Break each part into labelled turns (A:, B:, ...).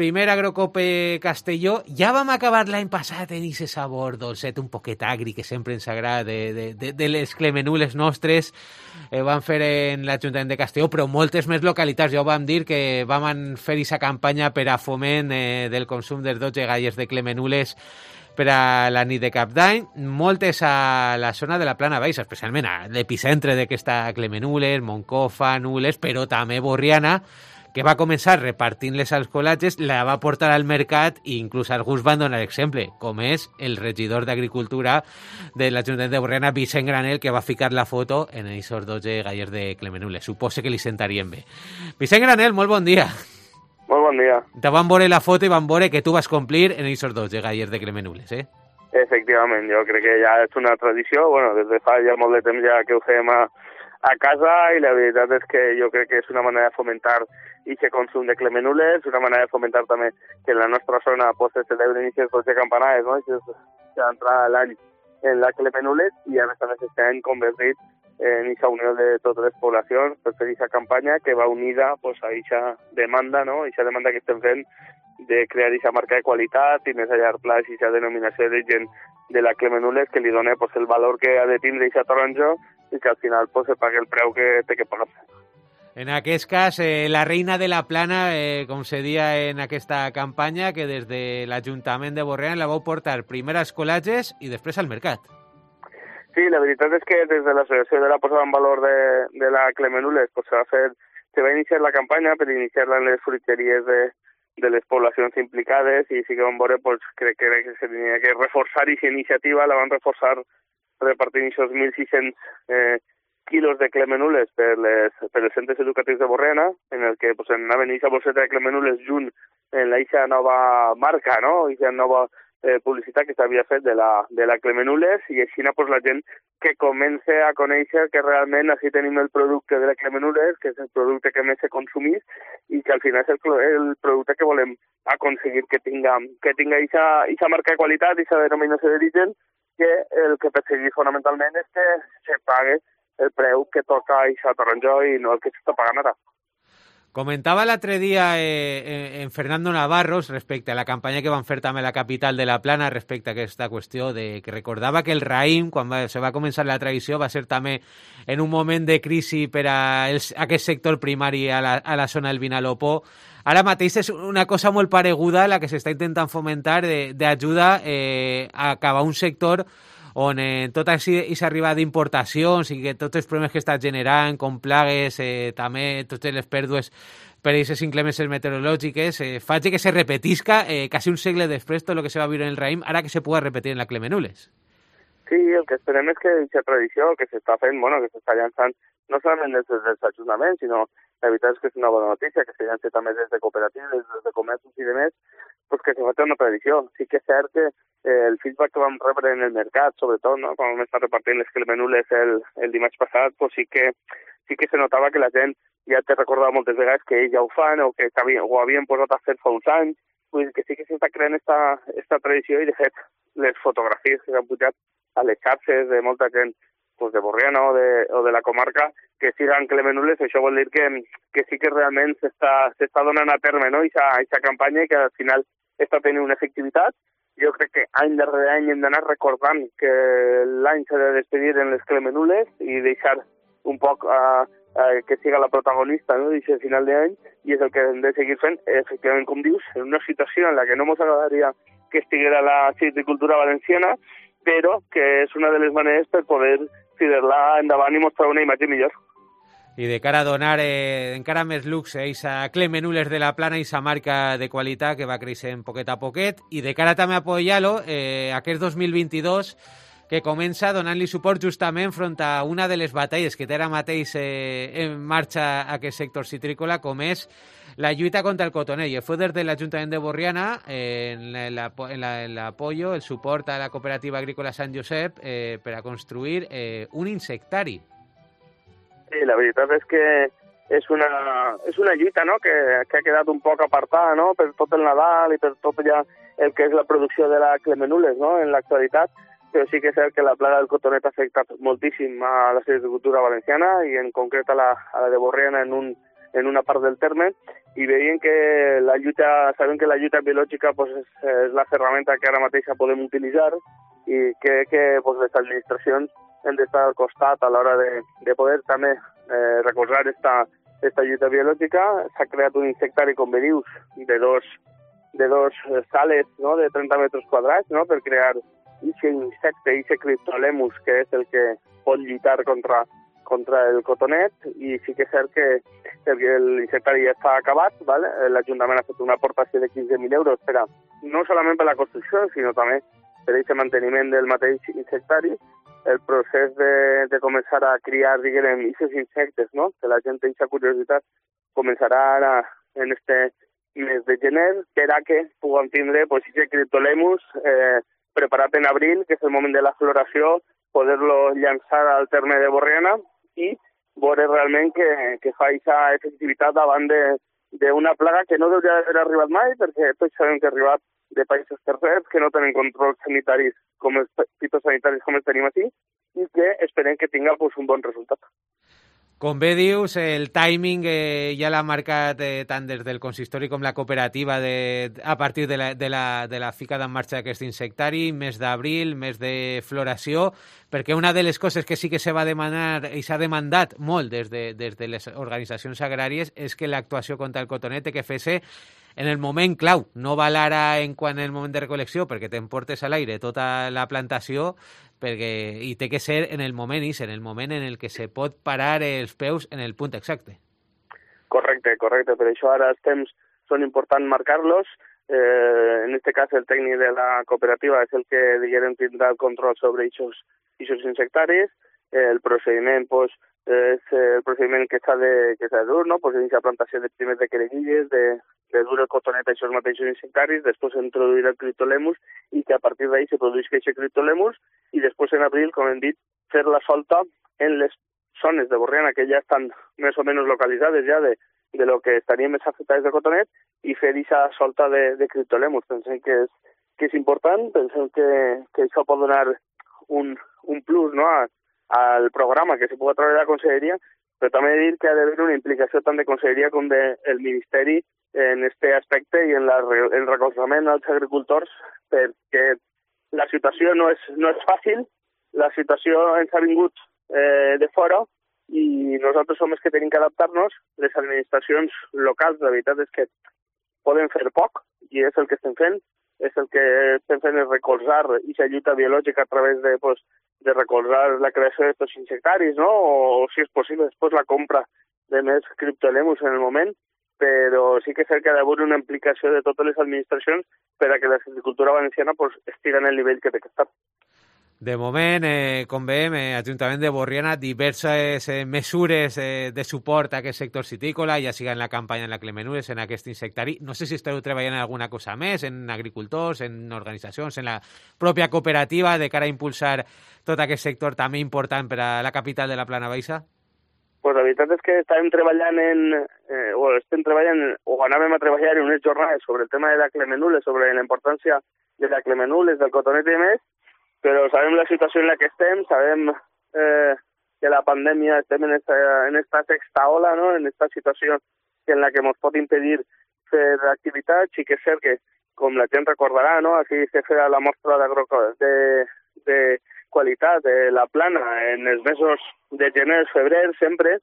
A: primer Agrocope Castelló. Ja vam acabar l'any passat en aquest sabor dolcet, un poquet agri, que sempre ens agrada, de les clemenules nostres. Vam fer en l'Ajuntament de Castelló, però moltes més localitats. Ja ho vam dir que vam fer aquesta campanya per a foment del consum dels 12 galles de clemenules per a la nit de Cap d'Any, moltes a la zona de la Plana Baixa, especialment a l'epicentre d'aquesta clemenules, Moncofa, Nules, però també Borriana, que va començar repartint-les als col·latges, la va portar al mercat i inclús alguns van donar exemple, com és el regidor d'Agricultura de l'Ajuntament de Borriana, Vicent Granel, que va ficar la foto en aquests 12 gallers de clemenules. Suposo que li sentarien bé. Vicent Granel, molt bon dia.
B: Molt bon dia.
A: Te van veure la foto i van veure que tu vas complir en aquests 12 gallers de clemenules, eh?
B: Efectivament, jo crec que ja és una tradició, bueno, des de fa ja molt de temps ja que ho fem a casa, i la veritat és que jo crec que és una manera de fomentar aquest consum de clemenules, una manera de fomentar també que en la nostra zona pues, se celebren aquestes 12 campanades, no? D'entrar l'any en la clemenules, i a més estem convertit en aquesta unió de totes les poblacions per fer aquesta campanya que va unida pues, a aquesta demanda, no? Aquesta demanda que estem fent de crear aquesta marca de qualitat i més a llarg plaç aquesta denominació de gent de la clemenules que li dona pues, el valor que ha de tindre aquesta taronja i que al final pues, se pagui el preu que té que pagar.
A: En aquest cas, la reina de la plana, com se dia en aquesta campanya, que des de l'Ajuntament de Borriana la vau portar primer als col·latges i després al mercat.
B: Sí, la veritat és que des de l'associació de la posada en valor de la clemenules pues, se va iniciar la campanya per iniciar-la en les fruiteries de les poblacions implicades, i sí que vam veure, pues, crec que se tenia que reforçar aquesta iniciativa, la van reforçar repartint aquests 1.600 quilos de clemenules per els centres educatius de Borriana, en el que pues, anaven aquesta bosseta de clemenules junt en aquesta nova marca, no? Aquesta nova publicitat que s'havia fet de la clemenules, i així pues, la gent que comença a conèixer que realment així tenim el producte de la clemenules, que és el producte que més se consumís i que al final és el producte que volem aconseguir que tinga aquesta marca de qualitat, aquesta denominació d'origen, que el que perseguir fonamentalment és que se pague el preu que toca aquesta taronja i no el que s'està pagant ara.
A: Comentava l'altre dia en Fernando Navarros respecte a la campanya que van fer també a la capital de la Plana respecte a aquesta qüestió de que recordava que el raïm, quan se va començar la tradició, va ser també en un moment de crisi per a aquest sector primari a la zona del Vinalopó. Ara mateix és una cosa molt pareguda a la que s'està intentant fomentar d'ajuda a acabar un sector on tota aquesta arribada d'importacions i que tots els problemes que està generant, com plagues, també totes les pèrdues per aquestes inclemències meteorològiques, faig que se repetisca quasi un segle després tot el que se va viure en el raïm, ara que se pugui repetir en la clemenules.
B: Sí, el que esperem és que aquesta tradició que s'està fent, bueno, que s'està llançant no solament des dels ajuntaments, sinó la veritat és que és una bona notícia, que se llança també des de cooperatives, des de comerços i demés, pues que se fa una tradició. Sí que és cert que el feedback que vam rebre en el mercat, sobretot, no? Quan vam estar repartint les clemenules el dimarts passat, pues sí que se notava que la gent ja te recordava moltes vegades que ells ja ho fan o que ho havien posat a fer fa uns anys, pues que sí que s'està creant esta tradició, i de fet les fotografies que s'han pujat a les xarxes de molta gent pues de Borriana o de la comarca que siguen clemenules, això vol dir que sí que realment s'està donant a terme, no? Aquesta campanya, i que al final està tenint una efectivitat. Jo crec que any darrere any hem d'anar recordant que l'any s'ha de despedir en les clemenules i deixar un poc que siga la protagonista, no? D'aquest final d'any, i és el que hem de seguir fent, efectivament, com dius, en una situació en la que no ens agradaria que estiguera la silvicultura valenciana, però que és una de les maneres per poder tirar-la endavant i mostrar una imatge millor.
A: I de cara a donar encara més luxe a aquesta clemenules de la Plana, aquesta marca de qualitat que va creixent poquet a poquet, i de cara també a apoyar-lo aquest 2022 que comença donant-li suport justament front a una de les batalles que té ara mateix en marxa aquest sector citrícola, com és la lluita contra el cotoner. I fue des de l'Ajuntament de Borriana en l'apoyo, el suport a la cooperativa agrícola Sant Josep per a construir un insectari.
B: Sí, la veritat és que és una lluita, no? que ha quedat un poc apartada, no? Per tot el Nadal i per tot ja el que és la producció de la clemenules, no? En l'actualitat, però sí que és cert que la plaga del cotonet ha afectat moltíssim a la silvicultura valenciana i en concret a la de Borriana en en una part del terme, i veien que sabem que la lluita biològica pues, és la ferramenta que ara mateix podem utilitzar, i crec que pues, les administracions hem d'estar al costat a l'hora de poder també recolzar esta lluita biològica. S'ha creat un insectari, com bé dius, de dos sales, no?, de 30 metres quadrats, no?, per crear aquest insecte, aquest Cryptolemus, que és el que pot lluitar contra el cotonet, i sí que és cert que l'insectari ja està acabat, ¿vale? L'Ajuntament ha fet una aportació de 15.000 euros no solament per la construcció, sinó també per aquest manteniment del mateix insectari. El procés de començar a criar, diguem, aquests insectes, no?, que la gent té aquesta curiositat, començarà ara en este mes de gener, per a que puguem tindre pues, aquest Cryptolemus preparat en abril, que és el moment de la floració, poder-lo llançar al terme de Borriana i veure realment que fa aquesta efectivitat davant d'una plaga que no hauria d'haver arribat mai, perquè tots sabem que ha arribat de països tercers que no tenen controls sanitaris fitosanitaris com els tenim aquí, i que esperem que tinga pues, un bon resultat.
A: Com bé dius, el timing ja l'ha marcat tant des del consistori com la cooperativa a partir de la ficada en marxa d'aquest insectari, mes d'abril, mes de floració, perquè una de les coses que sí que se va demanar i s'ha demandat molt des de les organitzacions agràries és que l'actuació contra el cotonet que fes en el moment clau, no val ara en quant el moment de recol·lecció, perquè t'emportes a l'aire tota la plantació, i té que ser en el moment en el moment en el que se pot parar els peus en el punt exacte.
B: Correcte. Per això ara els temps són importants marcar-los. En aquest cas, el tècnic de la cooperativa és el que, diguem, tindrà el control sobre aquests insectaris. El procediment, pues, és el procediment que s'ha de dur, no? Pues, iniciar plantació de primers de querellilles, de dur el cotonet a aquests mateixos insectaris, després introduir el Cryptolemus i que a partir d'ahí se produeix aquest Cryptolemus i després en abril, com hem dit, fer la solta en les zones de Borriana que ja estan més o menys localitzades ja de lo que estarien més afectades de cotonet i fer aquesta solta de Cryptolemus. Pensem que és important, pensem que això pot donar un plus, no?, al programa que se pugui treure de la Conselleria, però també dir que ha d'haver una implicació tant de Conselleria com del Ministeri en aquest aspecte i en el recolzament als agricultors, perquè la situació no és fàcil, la situació ens ha vingut de fora i nosaltres som els que tenim que adaptar-nos. Les administracions locals, la veritat és que poden fer poc i és el que estem fent. És el que estem fent és recolzar aquesta lluita biològica a través de recolzar la creació d'aquests insectaris, no? O si és possible, després la compra de més Cryptolemus en el moment, però sí que és cert que ha d'haver una implicació de totes les administracions per a que la agricultura valenciana pues, estigui en el nivell que té que estar.
A: De moment, com veiem, Ajuntament de Borriana, diverses mesures de suport a aquest sector citícola, ja siga en la campanya en la Clemenules, en aquest insectari. No sé si esteu treballant en alguna cosa més, en agricultors, en organitzacions, en la pròpia cooperativa, de cara a impulsar tot aquest sector també important per a la capital de la Plana Baixa?
B: Pues la veritat és que estem treballant o anàvem a treballar en unes jornades sobre el tema de la Clemenules, sobre la importància de la Clemenules, del cotonet i més, però sabem la situació en la que estem, sabem que la pandèmia estem en esta sexta ola, no?, en esta situació en la que ens pot impedir fer activitats. Sí que és cert que, com la gent recordarà, no?, aquí se feia la mostra de qualitat de la Plana en els mesos de gener, febrer, sempre.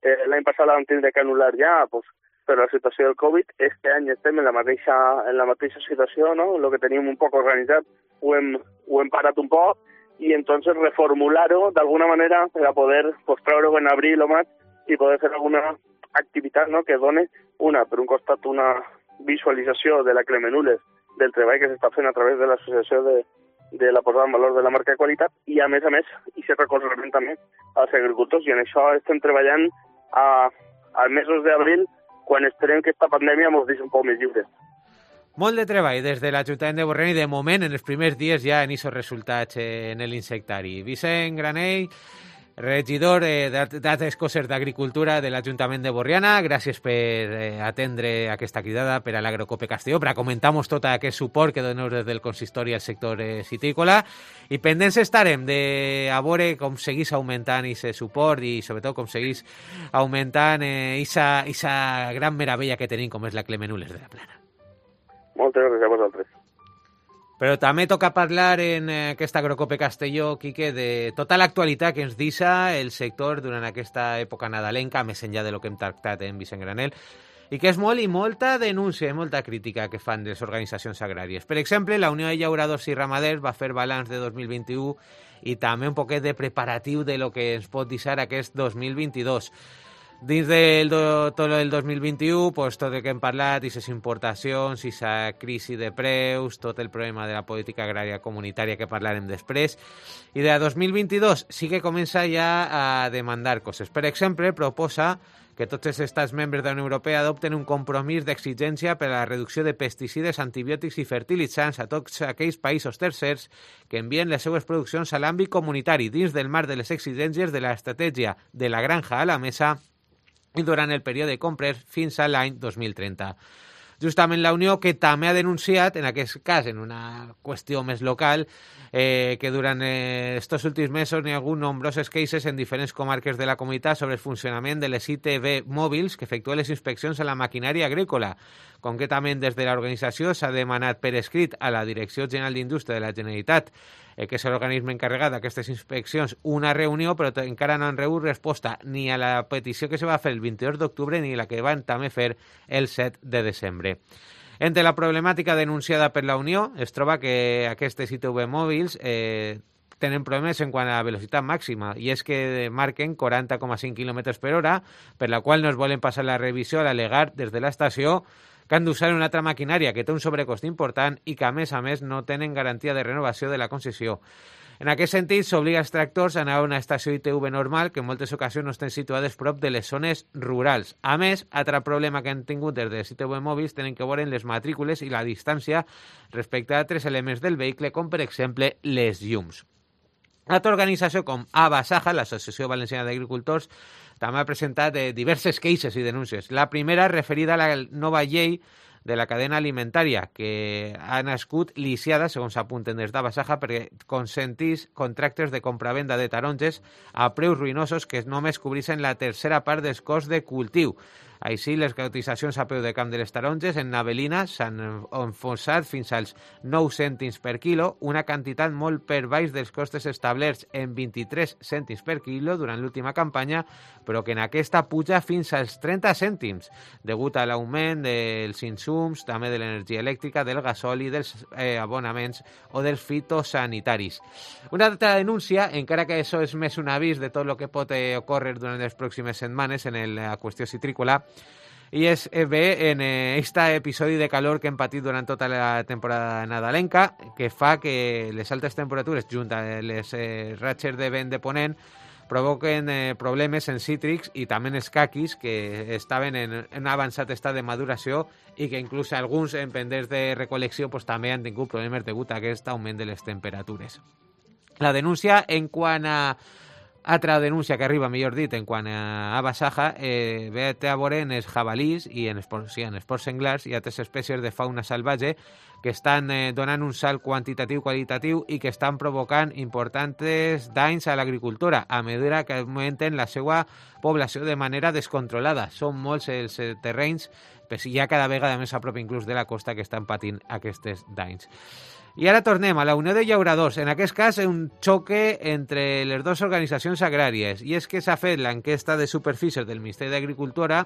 B: L'any passat l'hem tingut que anul·lar ja, pues, per la situació del Covid. Este any estem en la mateixa situació, no?, el que teníem un poc organitzat ho hem parat un poc i entonces reformular-ho d'alguna manera per a poder treure-ho en abril o maig i poder fer alguna activitat, no?, que doni per un costat una visualització de la Clemenules, del treball que s'està fent a través de l'associació de la posada en valor de la marca de qualitat i a més, i se recolzament també als agricultors, i en això estem treballant als mesos d'abril, quan esperem que aquesta pandèmia ens deixi un poc més lliures.
A: Molt de treball des de l'Ajuntament de Borriana i de moment en els primers dies ja en aquests resultats en l'insectari. Vicent Granell, Regidor d'Altres Coses d'Agricultura de l'Ajuntament de Borriana, gràcies per atendre aquesta cridada per a l'Agrocope Castelló, per a comentar-nos tot aquest suport que doneu des del consistori al sector citícola, i pendents estarem de a veure com seguís augmentant aquest suport i sobretot com seguís augmentant aquesta gran meravella que tenim com és la Clemenules de la Plana.
B: Moltes gràcies a vosaltres.
A: Però també toca parlar en aquesta Agrocope Castelló, Quique, de tota l'actualitat que ens deixa el sector durant aquesta època nadalenca, més enllà de lo que hem tractat en Vicent Granel, i que és molt i molta denúncia i molta crítica que fan les organitzacions agràries. Per exemple, la Unió de Llauradors i Ramaders va fer balanç de 2021 i també un poquet de preparatiu de lo que ens pot deixar aquest 2022. Dins tot el 2021, pues, tot el que hem parlat, aquestes importacions, aquesta crisi de preus, tot el problema de la política agrària comunitària que parlarem després. I de 2022 sí que comença ja a demandar coses. Per exemple, proposa que tots els estats membres de la Unió Europea adopten un compromís d'exigència per a la reducció de pesticides, antibiòtics i fertilitzants a tots aquells països tercers que envien les seues produccions a l'àmbit comunitari dins del marc de les exigències de l'estratègia de la granja a la mesa i durant el període de compres fins a l'any 2030. Justament la Unió, que també ha denunciat, en aquest cas en una qüestió més local, que durant estos últims mesos hi ha hagut nombroses queixes en diferents comarques de la comunitat sobre el funcionament de les ITV mòbils que efectuen les inspeccions a la maquinària agrícola. Concretament, des de l'organització s'ha demanat per escrit a la Direcció General d'Indústria de la Generalitat, que és l'organisme encarregat d'aquestes inspeccions, una reunió, però encara no han rebut resposta ni a la petició que se va fer el 22 d'octubre ni la que van també fer el 7 de desembre. Entre la problemàtica denunciada per la Unió es troba que aquestes ITV mòbils tenen problemes en quant a la velocitat màxima, i és que marquen 40,5 km per hora, per la qual no es volen passar la revisió a l'al·legar des de l'estació que han d'usar una altra maquinària que té un sobrecost important i que, a més, no tenen garantia de renovació de la concessió. En aquest sentit, s'obliga els tractors a anar a una estació ITV normal que en moltes ocasions no estan situades prop de les zones rurals. A més, altre problema que han tingut des de les ITV mòbils tenen que veure les matrícules i la distància respecte a altres elements del vehicle, com per exemple les llums. Altra organització com ABASAJA, l'Associació Valenciana d'Agricultors, també ha presentat diverses queixes i denúncies. La primera referida a la nova llei de la cadena alimentària, que ha nascut lisiada, segons s'apunten des d'ABASAJA, perquè consentís contractes de compravenda de taronges a preus ruïnosos que només cobreixen la tercera part dels costs de cultiu. Així, les cotitzacions a peu de camp de les taronges en Navelina s'han enfonsat fins als 9 cèntims per quilo, una quantitat molt per baix dels costes establerts en 23 cèntims per quilo durant l'última campanya, però que en aquesta puja fins als 30 cèntims, degut a l'augment dels insums, també de l'energia elèctrica, del gasoli, dels abonaments o dels fitosanitaris. Una altra denúncia, encara que això és més un avís de tot el que pot ocórrer durant les pròximes setmanes en la qüestió citrícola, i és bé en aquest episodi de calor que hem patit durant tota la temporada nadalenca, que fa que les altes temperatures, junt a les ratxes de vent de ponent, provoquen problemes en cítrics i també en els caquis, que estaven en un avançat estat de maduració i que inclús alguns en pendents de recol·lecció pues, també han tingut problemes degut a aquest augment de les temperatures. La denúncia en quant a altra denúncia que arriba, millor dit, en quant a ABASAJA, ve a veure en els jabalís i en els porcs senglars i altres espècies de fauna salvatge que estan donant un salt quantitatiu-qualitatiu i que estan provocant importants danys a l'agricultura a mesura que augmenten la seva població de manera descontrolada. Són molts els terrenys, però ja cada vegada més a prop inclús de la costa, que estan patint aquests danys. I ara tornem a la Unió de Llauradors. En aquest cas, un xoque entre les dues organitzacions agràries. I és que s'ha fet l'enquesta de superfícies del Ministeri d'Agricultura,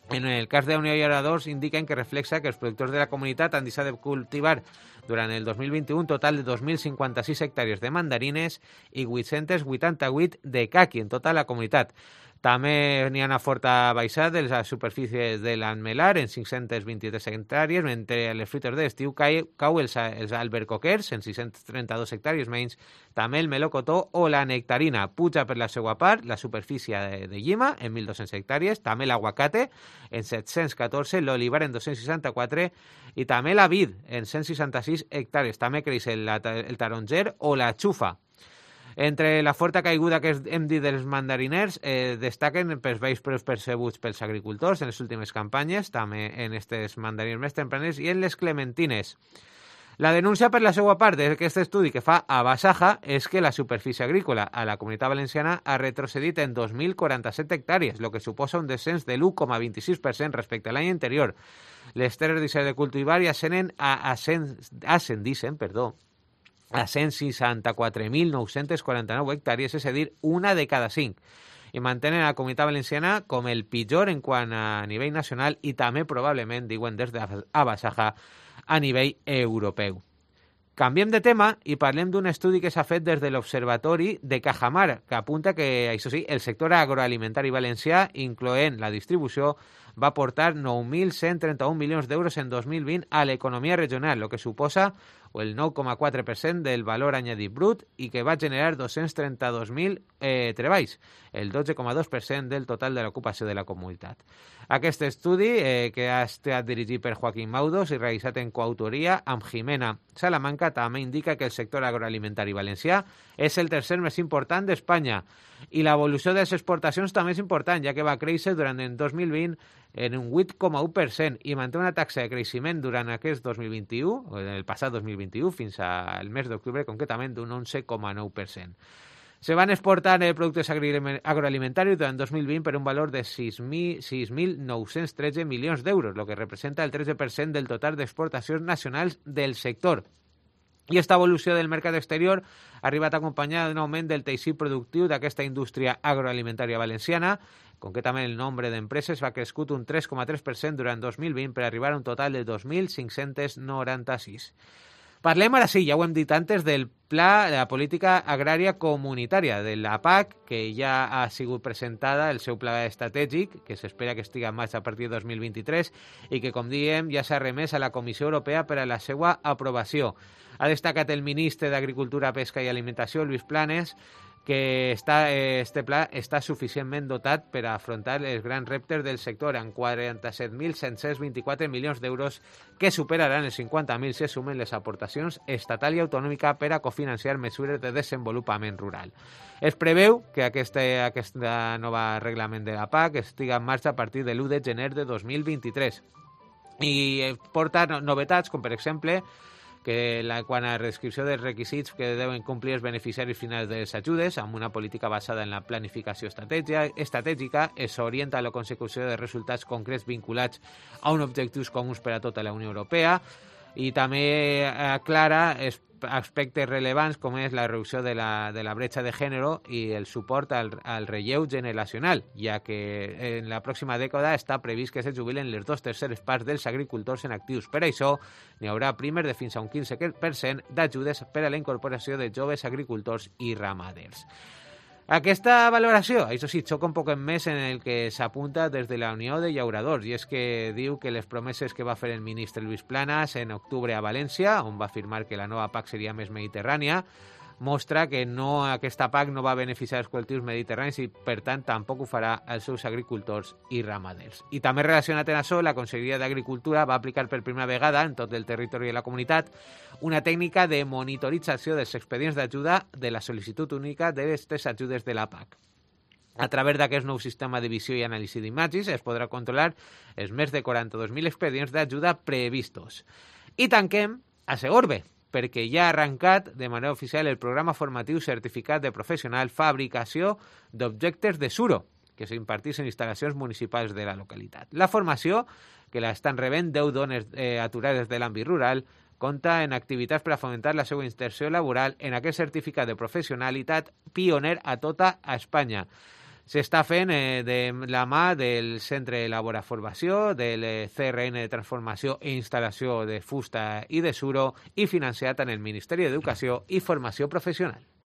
A: en el cas de la Unió de Llauradors indiquen que reflexa que els productors de la comunitat han deixat de cultivar durant el 2021 un total de 2.056 hectàrees de mandarines i 888 de caqui en tota la comunitat. També n'hi ha una forta baixada de les superfícies de l'Anmelar en 523 hectàrees, mentre a les fruites d'estiu cau els albercoquers en 632 hectàrees menys, també el melocotó o la nectarina. Puja per la seva part la superfície de llima en 1.200 hectàrees, també l'aguacate en 714, l'olivar en 264 i també la vid en 166 hectàrees. També creix el taronger o la xufa. Entre la forta caiguda que hem dit dels mandariners, destaquen pels vells preus percebuts pels agricultors en les últimes campanyes, també en aquests mandarins més tempranes, i en les clementines. La denúncia per la seva part d'aquest estudi que fa a Basaja és que la superfície agrícola a la Comunitat Valenciana ha retrocedit en 2.047 hectàrees, el que suposa un descens de l'1,26% respecte a l'any anterior. Les terres de cultivar ja ascendixen a 164.949 hectàrees, és a dir, una de cada 5. I mantenen la Comunitat Valenciana com el pitjor en quant a nivell nacional i també probablement, diuen des d'Abasaja, a nivell europeu. Canviem de tema i parlem d'un estudi que s'ha fet des de l'Observatori de Cajamar, que apunta que, això sí, el sector agroalimentari valencià, incloent la distribució, va aportar 9.131 milions d'euros en 2020 a l'economia regional, el que suposa el 9,4% del valor añadit brut i que va generar 232.000 treballs, el 12,2% del total de l'ocupació de la comunitat. Aquest estudi, que ha estat dirigit per Joaquín Maudos i realitzat en coautoria amb Jimena Salamanca, també indica que el sector agroalimentari valencià és el tercer més important d'Espanya i l'evolució de les exportacions també és important, ja que va créixer durant el 2020 en un 8,1% i manté una taxa de creixement durant aquest 2021, o el passat 2021, fins al mes d'octubre, concretament d'un 11,9%. Se van exportar productes agroalimentaris durant 2020 per un valor de 6.913 milions d'euros, el que representa el 13% del total d'exportacions nacionals del sector. I aquesta evolució del mercat exterior ha arribat acompanyada d'un augment del teixit productiu d'aquesta indústria agroalimentària valenciana. Concretament, el nombre d'empreses va crescut un 3,3% durant 2020 per arribar a un total de 2.596. Parlem ara sí, ja ho hem dit antes, del Pla de la Política Agrària Comunitària, de la PAC, que ja ha sigut presentada el seu pla estratègic, que s'espera que estigui en marxa a partir de 2023 i que, com diem, ja s'ha remès a la Comissió Europea per a la seva aprovació. Ha destacat el ministre d'Agricultura, Pesca i Alimentació, Luis Planes, que este pla està suficientment dotat per a afrontar els grans reptes del sector amb 47.724 milions d'euros que superaran els 50.000 si sumen les aportacions estatal i autonòmica per a cofinanciar mesures de desenvolupament rural. Es preveu que aquest nova reglament de la PAC estigui en marxa a partir de l'1 de gener de 2023 i porta novetats com, per exemple, que quan a la descripció dels requisits que deuen complir els beneficiaris finals de les ajudes, amb una política basada en la planificació estratègica, s'orienta a la consecució de resultats concrets vinculats a uns objectius comuns per a tota la Unió Europea i també aclara aspectes rellevants com és la reducció de la bretxa de gènere i el suport al relleu generacional, ja que en la pròxima dècada està previst que se jubilen les 2/3 parts dels agricultors en actius. Per això, n'hi haurà primer de fins a un 15% d'ajudes per a la incorporació de joves agricultors i ramaders. Aquesta valoració, això sí, xoca un poc més en el que s'apunta des de la Unió de Llauradors, i és que diu que les promeses que va fer el ministre Luis Planas en octubre a València, on va afirmar que la nova PAC seria més mediterrània, mostra que aquesta PAC no va beneficiar els col·lectius mediterranis i, per tant, tampoc ho farà als seus agricultors i ramaders. I també relacionat amb això, la Conselleria d'Agricultura va aplicar per primera vegada en tot el territori de la comunitat una tècnica de monitorització dels expedients d'ajuda de la sol·licitud única d'aquestes ajudes de la PAC. A través d'aquest nou sistema de visió i anàlisi d'imatges es podrà controlar els més de 42.000 expedients d'ajuda previstos. I tanquem a Segorbe, perquè ja ha arrencat de manera oficial el programa formatiu certificat de professional fabricació d'objectes de suro, que s'impartís en instal·lacions municipals de la localitat. La formació, que la estan rebent 10 dones aturades de l'àmbit rural, compta en activitats per a fomentar la seva inserció laboral en aquest certificat de professionalitat pioner a tota Espanya. S'està fent de la mà del Centre d'Elabora Formació, del CRN de Transformació i Instal·lació de Fusta i de Suro i financiat en el Ministeri d'Educació i Formació Professional.